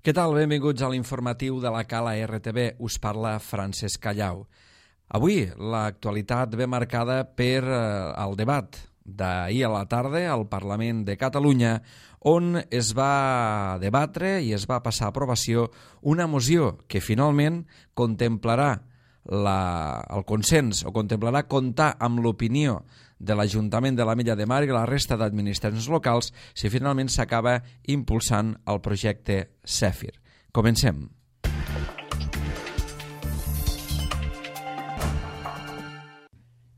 Què tal? Benvinguts a l'informatiu de la Cala RTV. Us parla Francesc Callau. Avui l'actualitat ve marcada per el debat d'ahir a la tarda al Parlament de Catalunya, on es va debatre i es va passar a aprovació una moció que finalment contemplarà el consens o contemplarà comptar amb l'opinió de l'Ajuntament de l'Ametlla de Mar i la resta d'administracions locals si finalment s'acaba impulsant el projecte Zèfir. Comencem.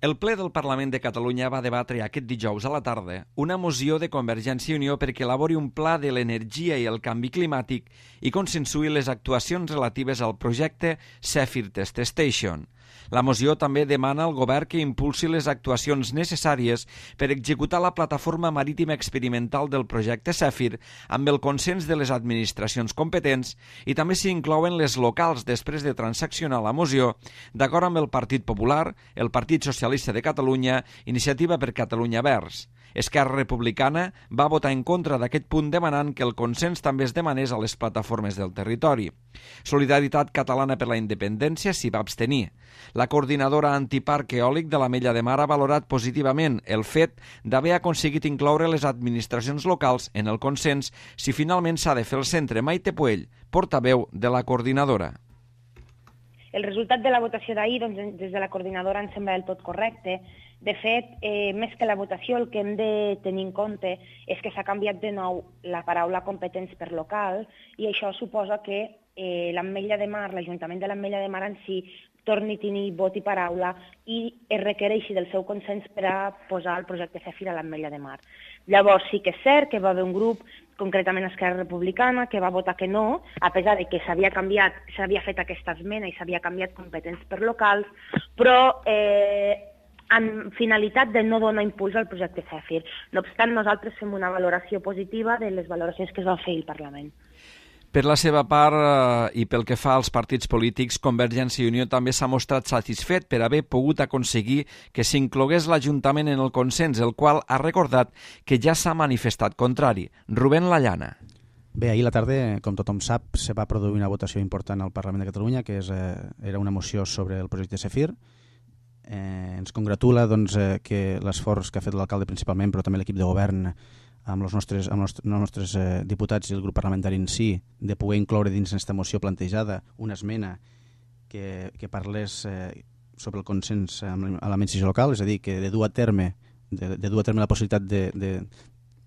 El ple del Parlament de Catalunya va debatre aquest dijous a la tarda una moció de Convergència i Unió perquè elabori un pla de l'energia i el canvi climàtic i consensuï les actuacions relatives al projecte Zèfir Test Station. La moció també demana al govern que impulsi les actuacions necessàries per executar la plataforma marítima experimental del projecte Zèfir amb el consens de les administracions competents i també s'hi inclouen les locals després de transaccionar la moció d'acord amb el Partit Popular, el Partit Socialista de Catalunya, Iniciativa per Catalunya Verds. Esquerra Republicana va votar en contra d'aquest punt demanant que el consens també es demanés a les plataformes del territori. Solidaritat Catalana per la Independència s'hi va abstenir. La coordinadora antiparc eòlic de l'Ametlla de Mar ha valorat positivament el fet d'haver aconseguit incloure les administracions locals en el consens si finalment s'ha de fer el centre. Maite Puell, portaveu de la coordinadora. El resultat de la votació d'ahir, des de la coordinadora, ens sembla del tot correcte. De fet, més que la votació, el que hem de tenir en compte és que s'ha canviat de nou la paraula competents per local i això suposa que l'Ametlla de Mar, l'Ajuntament de l'Ametlla de Mar en si, torni a tenir vot i paraula i es requereixi del seu consens per a posar el projecte Zèfir a l'Ametlla de Mar. Llavors sí que és cert que va haver un grup, concretament Esquerra Republicana, que va votar que no, a pesar de que s'havia fet aquesta esmena i s'havia canviat competents per locals, però amb finalitat de no donar impuls al projecte Zèfir. No obstant, nosaltres fem una valoració positiva de les valoracions que es van fer al Parlament. Per la seva part, i pel que fa als partits polítics, Convergència i Unió també s'ha mostrat satisfet per haver pogut aconseguir que s'inclogués l'Ajuntament en el consens, el qual ha recordat que ja s'ha manifestat contrari. Rubén Lallana. Bé, ahir a la tarda, com tothom sap, se va produir una votació important al Parlament de Catalunya, que era una moció sobre el projecte Zèfir. Ens congratula que l'esforç que ha fet l'alcalde principalment, però també l'equip de govern, amb els nostres diputats i el grup parlamentari en si, de poder incloure dins aquesta moció plantejada una esmena que parlés sobre el consens amb l'administració local, és a dir, que de dur a terme la possibilitat de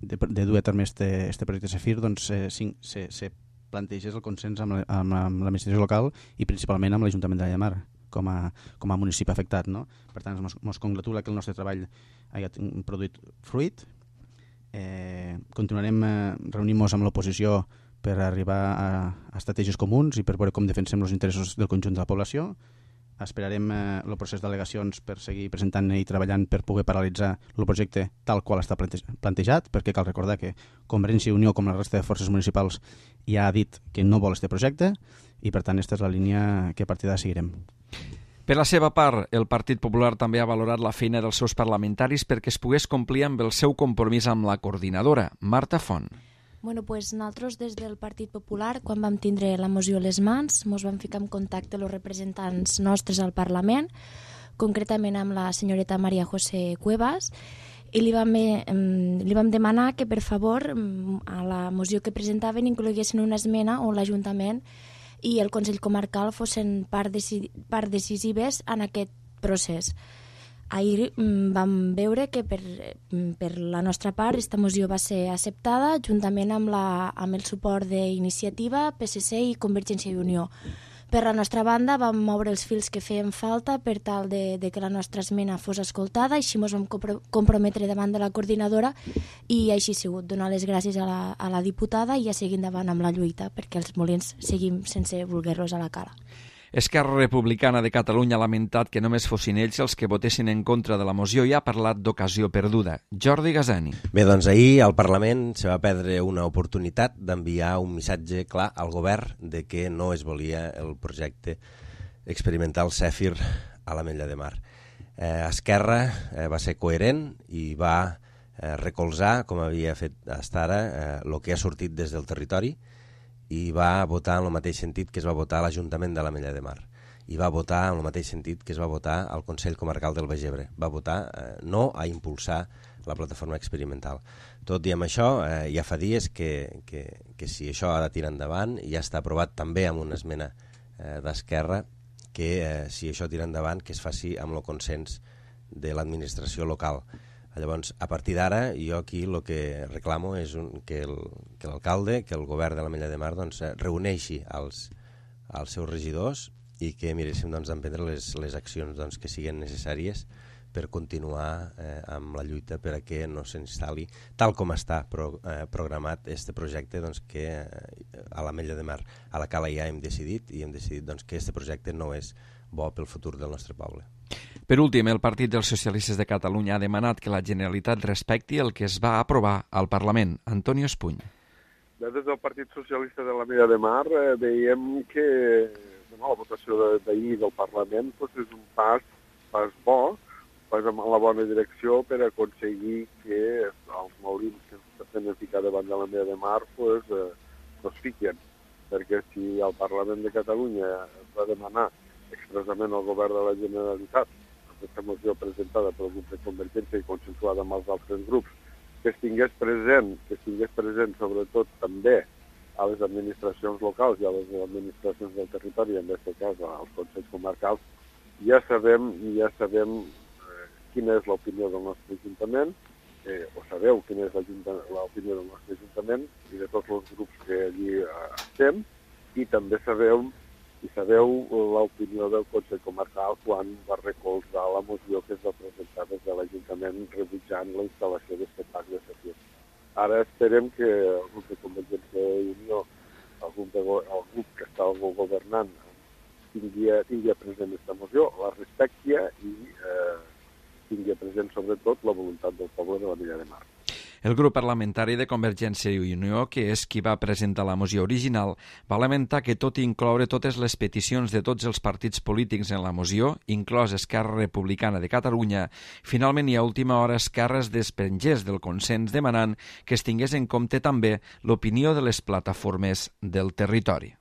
dur a terme este projecte Zèfir, doncs se plantegés el consens amb l'administració local i principalment amb l'Ajuntament de Mar com a municipi afectat, no? Per tant, ens congratula que el nostre treball hagi produït fruit. Continuarem reunint-nos amb l'oposició per arribar a estratègies comuns i per veure com defensem els interessos del conjunt de la població. Esperarem el procés d'al·legacions per seguir presentant i treballant per poder paralitzar el projecte tal qual està plantejat, perquè cal recordar que Convergència i Unió, com la resta de forces municipals, ja ha dit que no vol aquest projecte i per tant aquesta és la línia que a partir d'ara seguirem. Per la seva part, el Partit Popular també ha valorat la feina dels seus parlamentaris perquè es pogués complir amb el seu compromís amb la coordinadora. Marta Font. Nosaltres des del Partit Popular, quan vam tindre la moció a les mans, ens vam ficar en contacte amb els representants nostres al Parlament, concretament amb la senyoreta María José Cuevas, i li vam demanar que, per favor, a la moció que presentaven incloguessin una esmena on l'Ajuntament i el Consell Comarcal fossin part decisives en aquest procés. Ahir vam veure que per la nostra part aquesta moció va ser acceptada juntament amb el suport d'Iniciativa, PSC i Convergència i Unió. Per la nostra banda vam moure els fils que feien falta per tal de que la nostra esmena fos escoltada, així ens vam comprometre davant de la coordinadora i així ha sigut. Donar les gràcies a la diputada i a seguir endavant amb la lluita perquè els molins seguim sense voler-los a la cala. Esquerra Republicana de Catalunya ha lamentat que només fossin ells els que votessin en contra de la moció i ha parlat d'ocasió perduda. Jordi Gazani. Bé, doncs ahir al Parlament se va perdre una oportunitat d'enviar un missatge clar al govern de que no es volia el projecte experimental Zèfir a l'Ametlla de Mar. Esquerra va ser coherent i va recolzar, com havia fet fins ara, el que ha sortit des del territori i va votar en el mateix sentit que es va votar a l'Ajuntament de l'Ametlla de Mar, i va votar en el mateix sentit que es va votar al Consell Comarcal del Baix Ebre. Va votar no a impulsar la plataforma experimental. Tot i amb això, ja fa dies que si això ha de tirar endavant, ja està aprovat també amb una esmena d'Esquerra, que si això tira endavant, que es faci amb el consens de l'administració local. Llavors, a partir d'ara, jo aquí el que reclamo és que l'alcalde, que el govern de l'Ametlla de Mar reuneixi els seus regidors i que miréssim d'emprendre les accions que siguin necessàries per continuar amb la lluita per a que no s'instal·li, tal com està programat este projecte, que a l'Ametlla de Mar, a la Cala ja hem decidit que este projecte no és bo pel futur del nostre poble. Per últim, el Partit dels Socialistes de Catalunya ha demanat que la Generalitat respecti el que es va aprovar al Parlament. Antonio Espuny. Des del Partit Socialista de l'Ametlla de Mar veiem que la votació d'ahir del Parlament és un pas bo, pas en la bona direcció per aconseguir que els molins que s'estan ficar davant de l'Ametlla de Mar es fiquen. Perquè si el Parlament de Catalunya va demanar expressament al govern de la Generalitat, aquesta moció presentada pel grup de Convergència i consensuada amb els altres grups, que es tingués present sobretot també a les administracions locals i a les administracions del territori, en aquest cas als consells comarcals, ja sabem quina és l'opinió del nostre Ajuntament, o sabeu quina és l'opinió del nostre Ajuntament i de tots els grups que allí estem, i també sabeu l'opinió del Consell Comarcal quan va recolzar la moció que es va presentar des de l'Ajuntament rebutjant la instal·lació d'aquest parc de Safir. Ara esperem que el grup de Convergència i Unió, el grup que està governant, tingui present aquesta moció, la respecti i tingui present sobretot la voluntat del poble de l'Ametlla de Mar. El grup parlamentari de Convergència i Unió, que és qui va presentar la moció original, va lamentar que tot i incloure totes les peticions de tots els partits polítics en la moció, inclòs Esquerra Republicana de Catalunya, finalment i a última hora Esquerra es desprengés del consens demanant que es tingués en compte també l'opinió de les plataformes del territori.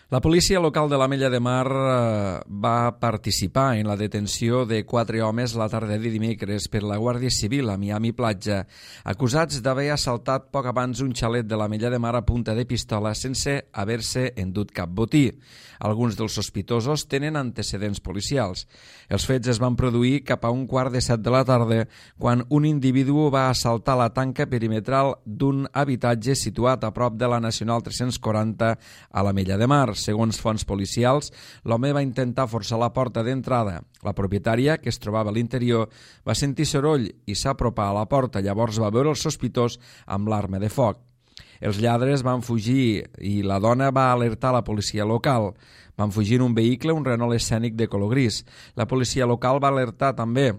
La policia local de l'Ametlla de Mar va participar en la detenció de 4 homes la tarda de dimecres per la Guàrdia Civil a Miami Platja, acusats d'haver assaltat poc abans un xalet de l'Ametlla de Mar a punta de pistola sense haver-se endut cap botí. Alguns dels sospitosos tenen antecedents policials. Els fets es van produir cap a 7:15 de la tarda quan un individu va assaltar la tanca perimetral d'un habitatge situat a prop de la Nacional 340 a l'Ametlla de Mar. Segons fonts policials, l'home va intentar forçar la porta d'entrada. La propietària, que es trobava a l'interior, va sentir soroll i s'apropà a la porta. Llavors va veure el sospitós amb l'arma de foc. Els lladres van fugir i la dona va alertar la policia local. Van fugir en un vehicle, un Renault Escènic de color gris. La policia local va alertar també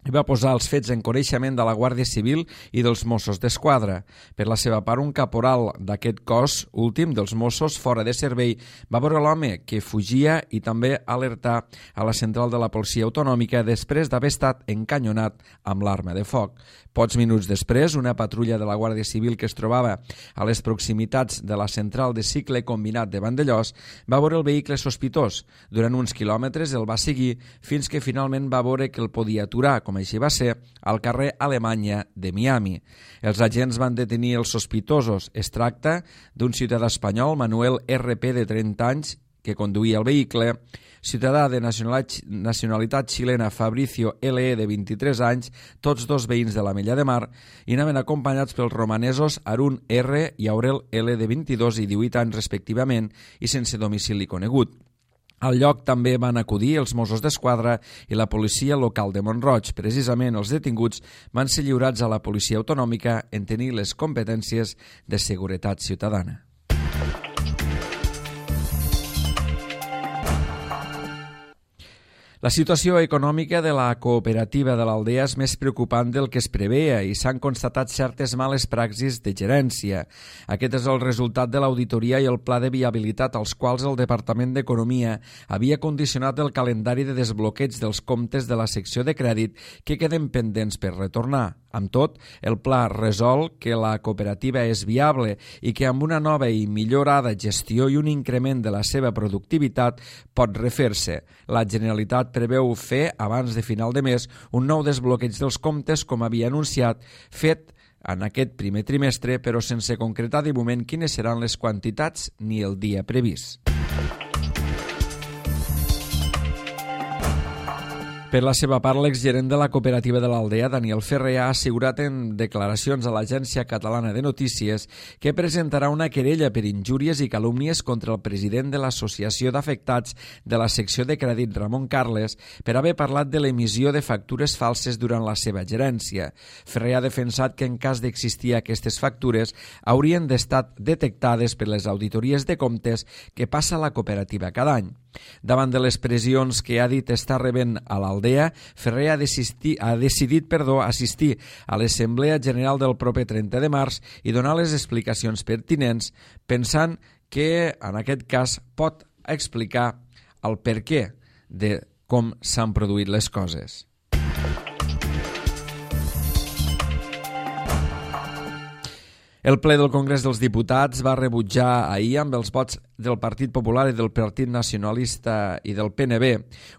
i va posar els fets en coneixement de la Guàrdia Civil i dels Mossos d'Esquadra. Per la seva part, un caporal d'aquest cos últim dels Mossos fora de servei va veure l'home que fugia i també alertar a la central de la policia autonòmica després d'haver estat encanyonat amb l'arma de foc. Pocs minuts després, una patrulla de la Guàrdia Civil que es trobava a les proximitats de la central de cicle combinat de Vandellós va veure el vehicle sospitós. Durant uns quilòmetres el va seguir fins que finalment va veure que el podia aturar, com així va ser, al carrer Alemanya de Miami. Els agents van detenir els sospitosos. Es tracta d'un ciutadà espanyol, Manuel RP, de 30 anys, que conduïa el vehicle, ciutadà de nacionalitat xilena Fabricio LE, de 23 anys, tots dos veïns de l'Ametlla de Mar, i anaven acompanyats pels romanesos Arun R i Aurel L, de 22 i 18 anys respectivament, i sense domicili conegut. Al lloc també van acudir els Mossos d'Esquadra i la policia local de Mont-roig. Precisament els detinguts van ser lliurats a la policia autonòmica en tenir les competències de seguretat ciutadana. La situació econòmica de la cooperativa de l'Aldea és més preocupant del que es preveia i s'han constatat certes males praxis de gerència. Aquest és el resultat de l'auditoria i el pla de viabilitat als quals el Departament d'Economia havia condicionat el calendari de desbloqueig dels comptes de la secció de crèdit que queden pendents per retornar. Amb tot, el pla resol que la cooperativa és viable i que amb una nova i millorada gestió i un increment de la seva productivitat pot refer-se. La Generalitat preveu fer, abans de final de mes, un nou desbloqueig dels comptes, com havia anunciat, fet en aquest primer trimestre, però sense concretar de moment quines seran les quantitats ni el dia previst. Per la seva part, l'exgerent de la cooperativa de l'Aldea, Daniel Ferrer, ha assegurat en declaracions a l'Agència Catalana de Notícies que presentarà una querella per injúries i calúmnies contra el president de l'Associació d'Afectats de la secció de crèdit, Ramon Carles, per haver parlat de l'emissió de factures falses durant la seva gerència. Ferrer ha defensat que en cas d'existir aquestes factures haurien d'estar detectades per les auditories de comptes que passa la cooperativa cada any. Davant de les pressions que ha dit estar rebent a l'Aldea, Ferrer ha decidit assistir a l'Assemblea General del proper 30 de març i donar les explicacions pertinents, pensant que en aquest cas pot explicar el perquè de com s'han produït les coses. El ple del Congrés dels Diputats va rebutjar ahir, amb els vots del Partit Popular i del Partit Nacionalista i del PNB,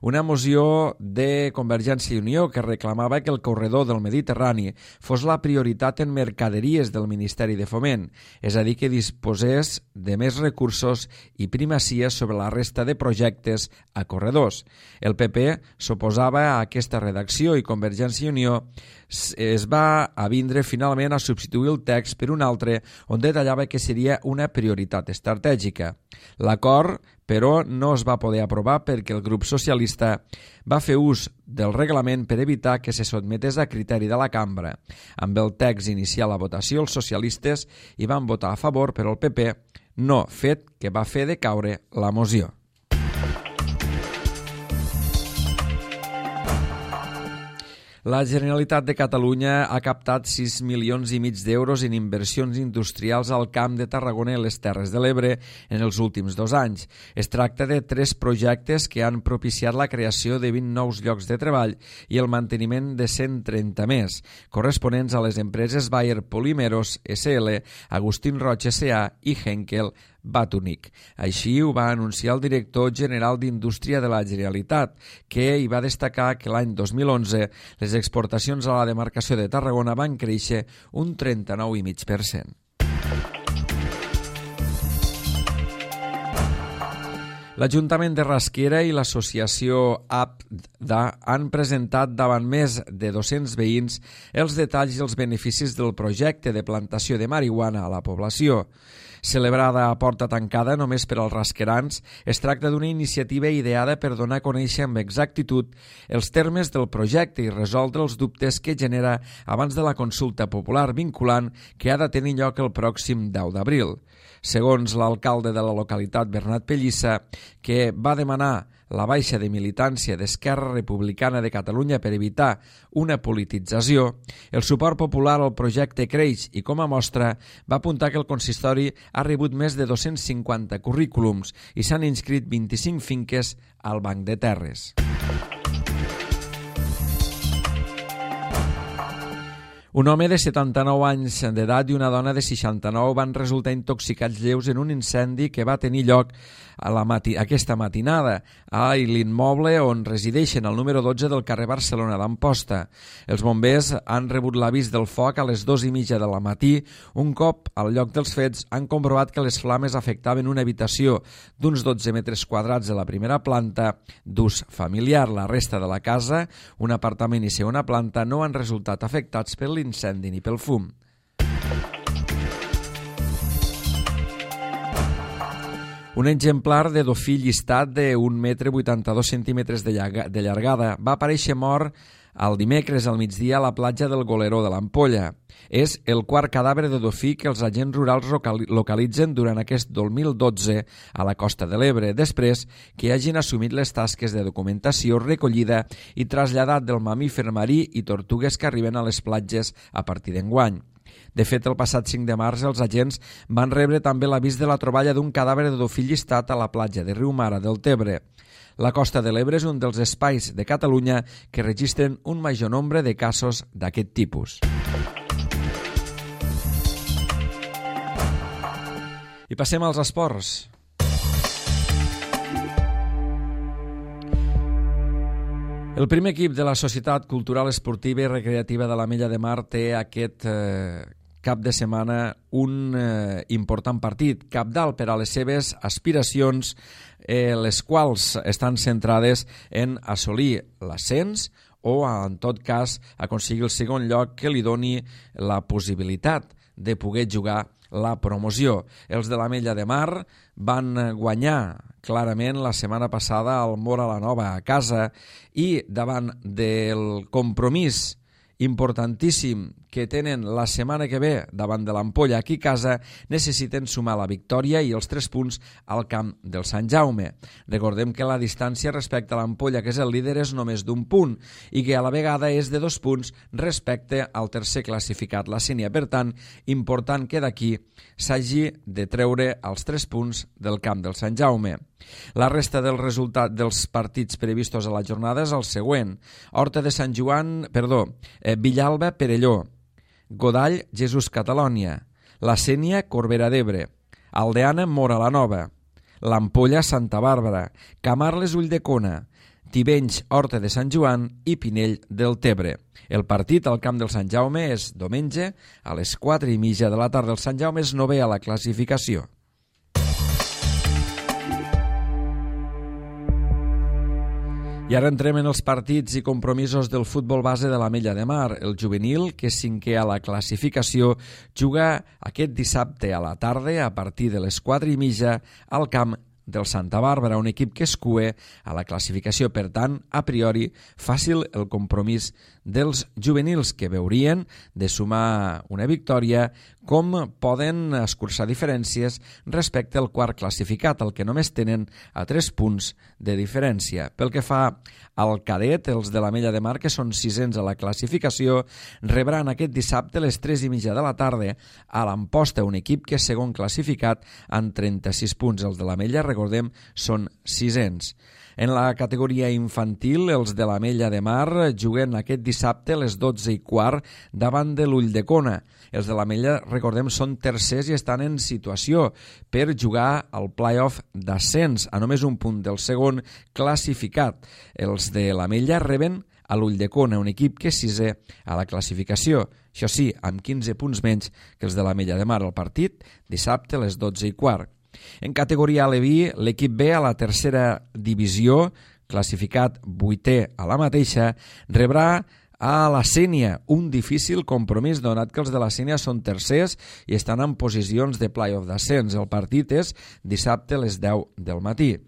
una moció de Convergència i Unió que reclamava que el corredor del Mediterrani fos la prioritat en mercaderies del Ministeri de Foment, és a dir, que disposés de més recursos i primacia sobre la resta de projectes a corredors. El PP s'oposava a aquesta redacció i Convergència i Unió es va avindre finalment a substituir el text per un altre on detallava que seria una prioritat estratègica. L'acord, però, no es va poder aprovar perquè el grup socialista va fer ús del reglament per evitar que se sotmetés a criteri de la cambra. Amb el text inicial a votació, els socialistes hi van votar a favor, però el PP no, fet que va fer decaure la moció. La Generalitat de Catalunya ha captat 6,5 milions d'euros en inversions industrials al Camp de Tarragona i les Terres de l'Ebre en els últims 2 anys. Es tracta de 3 projectes que han propiciat la creació de 20 nous llocs de treball i el manteniment de 130 més, corresponents a les empreses Bayer Polímeros SL, Agustín Roig S.A. i Henkel Batunic. Així ho va anunciar el director general d'Indústria de la Generalitat, que hi va destacar que l'any 2011 les exportacions a la demarcació de Tarragona van créixer un 39,5%. L'Ajuntament de Rasquera i l'Associació APDA han presentat davant més de 200 veïns els detalls i els beneficis del projecte de plantació de marihuana a la població. Celebrada a porta tancada només per als rasquerans, es tracta d'una iniciativa ideada per donar a conèixer amb exactitud els termes del projecte i resoldre els dubtes que genera abans de la consulta popular vinculant que ha de tenir lloc el pròxim 10 d'abril. Segons l'alcalde de la localitat, Bernat Pellissa, que va demanar la baixa de militància d'Esquerra Republicana de Catalunya per evitar una politització, el suport popular al projecte creix i, com a mostra, va apuntar que el consistori ha rebut més de 250 currículums i s'han inscrit 25 finques al Banc de Terres. Un home de 79 anys d'edat i una dona de 69 van resultar intoxicats lleus en un incendi que va tenir lloc aquesta matinada a l'immoble on resideixen al número 12 del carrer Barcelona d'Amposta. Els bombers han rebut l'avís del foc a les 2:30 del matí. Un cop al lloc dels fets han comprovat que les flames afectaven una habitació d'uns 12 metres quadrats de la primera planta d'ús familiar. La resta de la casa, un apartament i segona planta, no han resultat afectats per l'incendi ni pel fum. Un exemplar de dofí llistat de 1,82 m de llargada va aparèixer mort el dimecres al migdia a la platja del Goleró de l'Ampolla. És el quart cadàver de dofí que els agents rurals localitzen durant aquest 2012 a la Costa de l'Ebre, després que hagin assumit les tasques de documentació, recollida i traslladat del mamífer marí i tortugues que arriben a les platges a partir d'enguany. De fet, el passat 5 de març els agents van rebre també l'avís de la troballa d'un cadàver de dofí llistat a la platja de Riumara del Tebre. La Costa de l'Ebre és un dels espais de Catalunya que registren un major nombre de casos d'aquest tipus. I passem als esports. El primer equip de la Societat Cultural Esportiva i Recreativa de l'Ametlla de Mar té aquest cap de setmana un important partit, cabdal per a les seves aspiracions, les quals estan centrades en assolir l'ascens o, en tot cas, aconseguir el segon lloc que li doni la possibilitat de poder jugar la promoció. Els de l'Ametlla de Mar van guanyar clarament la setmana passada al Móra la Nova a casa i davant del compromís importantíssim que tenen la setmana que ve davant de l'Ampolla aquí a casa, necessiten sumar la victòria i els 3 punts al camp del Sant Jaume. Recordem que la distància respecte a l'Ampolla, que és el líder, és només d'1 punt i que a la vegada és de 2 punts respecte al tercer classificat, la Sénia. Per tant, important que d'aquí s'hagi de treure els 3 punts del camp del Sant Jaume. La resta del resultat dels partits previstos a la jornada és el següent. Villalba, Perelló, Godall, Jesús Catalònia, la Sénia, Corbera d'Ebre, Aldeana, Móra la Nova, l'Ampolla, Santa Bàrbara, Camarles, Ulldecona, Tivenys, Horta de Sant Joan i Pinell del Tebre. El partit al camp del Sant Jaume és diumenge a les 4:30 de la tarda. El Sant Jaume és 9è a la classificació. I ara entrem en els partits i compromisos del futbol base de l'Ametlla de Mar. El juvenil, que és 5è a la classificació, juga aquest dissabte a la tarda a partir de les 4:30 al camp del Santa Bàrbara, un equip que es cue a la classificació. Per tant, a priori, fàcil el compromís dels juvenils, que veurien de sumar una victòria com poden escurçar diferències respecte al quart classificat, el que només tenen a 3 punts de diferència. Pel que fa al cadet, els de l'Ametlla de Mar, que són 6ens a la classificació, rebran aquest dissabte a les 3:30 de la tarda a l'Amposta, un equip que és segon classificat amb 36 punts. Els de l'Ametlla, recordem, són 6ens. En la categoria infantil, els de l'Ametlla de Mar juguen aquest dissabte a les 12:15 davant de l'Ulldecona. Els de l'Ametlla, recordem, són tercers i estan en situació per jugar al play-off d'ascens, a només un punt del segon classificat. Els de l'Ametlla reben a l'Ulldecona, un equip que és 6è a la classificació. Això sí, amb 15 punts menys que els de l'Ametlla de Mar. El partit, dissabte a les 12:15. En categoria aleví, l'equip B a la tercera divisió, classificat 8è a la mateixa, rebrà a la Sénia, un difícil compromís donat que els de la Sénia són tercers i estan en posicions de play-off d'ascens. El partit és dissabte a les 10 del matí.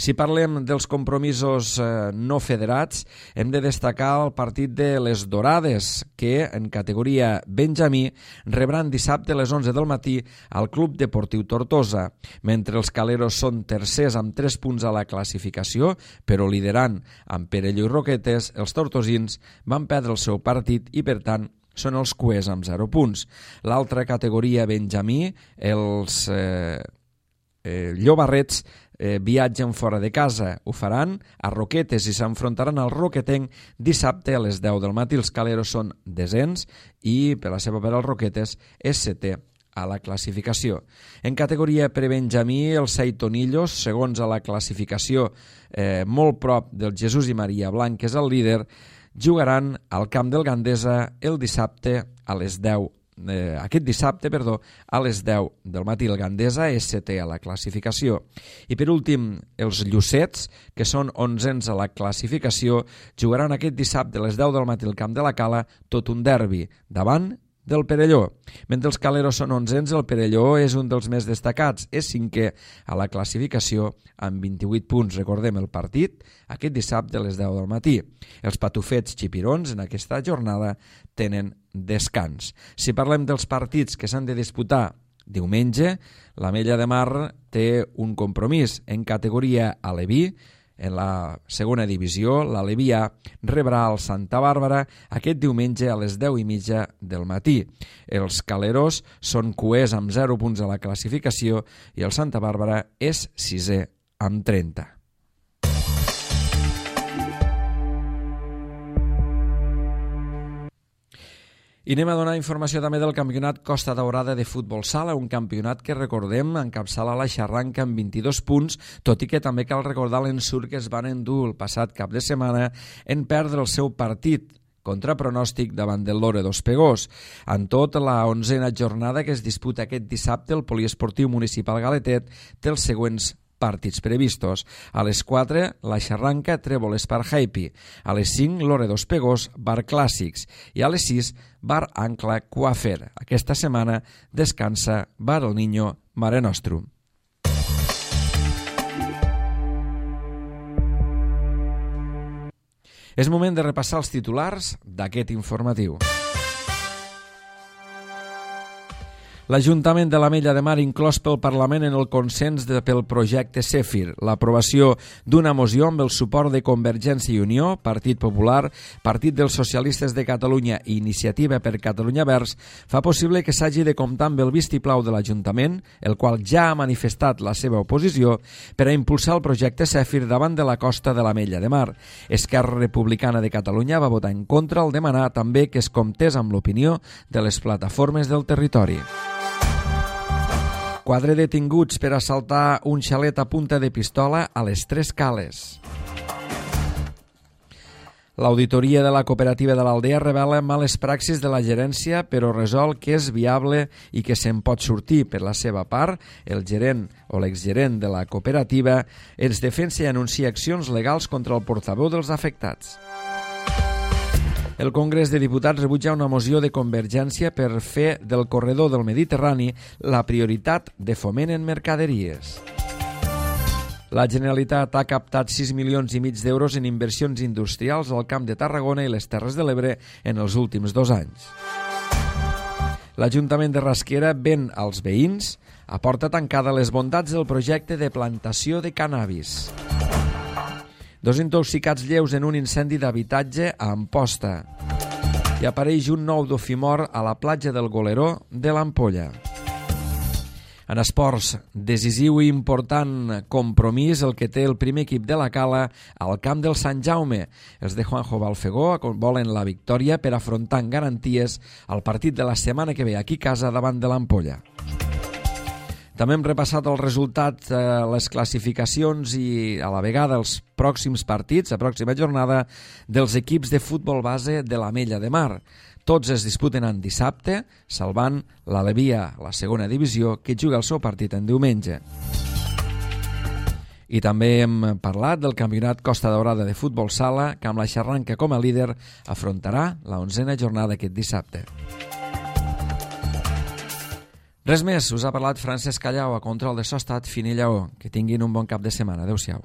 Si parlem dels compromisos no federats, hem de destacar el partit de les Dorades, que en categoria Benjamí rebran dissabte a les 11 del matí al Club Deportiu Tortosa. Mentre els Caleros són tercers amb 3 punts a la classificació, però liderant amb Perelló i Roquetes, els tortosins van perdre el seu partit i, per tant, són els cuers amb 0 punts. L'altra categoria Benjamí, els Llobarrets, viatgen fora de casa. Ho faran a Roquetes i s'enfrontaran al Roquetenc dissabte a les 10 del matí. Els Caleros són desens i, per la seva part, el Roquetes és 7è a la classificació. En categoria prebenjamí, els Seitonillos, segons a la classificació, molt prop del Jesús i Maria Blanc, que és el líder, jugaran al camp del Gandesa el dissabte a les 10 aquest dissabte, a les 10 del matí. El Gandesa és 7è a la classificació. I per últim, els Llucets, que són 11ens a la classificació, jugaran aquest dissabte a les 10 del matí al camp de la Cala, tot un derbi, davant del Perelló. Mentre els Caleros són 11ens, el Perelló és un dels més destacats. És 5è a la classificació amb 28 punts. Recordem el partit aquest dissabte a les 10 del matí. Els patufets xipirons en aquesta jornada tenen descans. Si parlem dels partits que s'han de disputar diumenge, l'Ametlla de Mar té un compromís en categoria aleví. En la segona divisió, l'Aleví A rebrà el Santa Bàrbara aquest diumenge a les 10:30 del matí. Els Caleros són cuers amb 0 punts a la classificació i el Santa Bàrbara és 6è amb 30. I anem a donar informació també del campionat Costa Daurada de futbol sala, un campionat que, recordem, encapçala la Xarranca amb 22 punts, tot i que també cal recordar l'ensurt que es van endur el passat cap de setmana en perdre el seu partit contra pronòstic davant del Lore d'Ospegós. En tot, la 11a jornada que es disputa aquest dissabte, el Poliesportiu Municipal Galetet té els següents partits previstos. A les 4, la Xarranca, Trèvol Espar Happy. A les 5, Lore d'Ospegós, Bar Clàssics. I a les 6, Bar Ancla Coafer. Aquesta setmana descansa Bar El Niño Mare Nostrum. És moment de repassar els titulars d'aquest informatiu. L'Ajuntament de l'Ametlla de Mar inclòs pel Parlament en el consens pel projecte Cefir, l'aprovació d'una moció amb el suport de Convergència i Unió, Partit Popular, Partit dels Socialistes de Catalunya i Iniciativa per Catalunya Verds, fa possible que s'hagi de comptar amb el vistiplau de l'Ajuntament, el qual ja ha manifestat la seva oposició, per a impulsar el projecte Cefir davant de la costa de l'Ametlla de Mar. Esquerra Republicana de Catalunya va votar en contra al demanar també que es comptés amb l'opinió de les plataformes del territori. 4 detinguts per assaltar un xalet a punta de pistola a les Tres Cales. L'auditoria de la cooperativa de l'Aldea revela males praxis de la gerència, però resol que és viable i que se'n pot sortir. Per la seva part, el gerent o l'exgerent de la cooperativa es defensa i anuncia accions legals contra el portaveu dels afectats. El Congrés de Diputats rebutja una moció de Convergència per fer del corredor del Mediterrani la prioritat de foment en mercaderies. La Generalitat ha captat 6,5 milions d'euros en inversions industrials al Camp de Tarragona i les Terres de l'Ebre en els últims 2 anys. L'Ajuntament de Rasquera ven als veïns a porta tancada les bondats del projecte de plantació de cannabis. 2 intoxicats lleus en un incendi d'habitatge a Amposta. I apareix un nou dofimor a la platja del Goleró de l'Ampolla. En esports, decisiu i important compromís el que té el primer equip de la Cala al camp del Sant Jaume. Els de Juanjo Balfegó volen la victòria per afrontar amb garanties el partit de la setmana que ve aquí a casa davant de l'Ampolla. També hem repassat els resultats, les classificacions i a la vegada els pròxims partits, la pròxima jornada dels equips de futbol base de l'Ametlla de Mar. Tots es disputen en dissabte, salvant l'Aleví A, la segona divisió, que juga el seu partit en diumenge. I també hem parlat del campionat Costa Daurada de futbol sala, que amb la Xarranca com a líder afrontarà la 11a jornada aquest dissabte. Res més, us ha parlat Francesc Callau, a control de so estat Fini Lleó. Que tinguin un bon cap de setmana. Adéu-siau.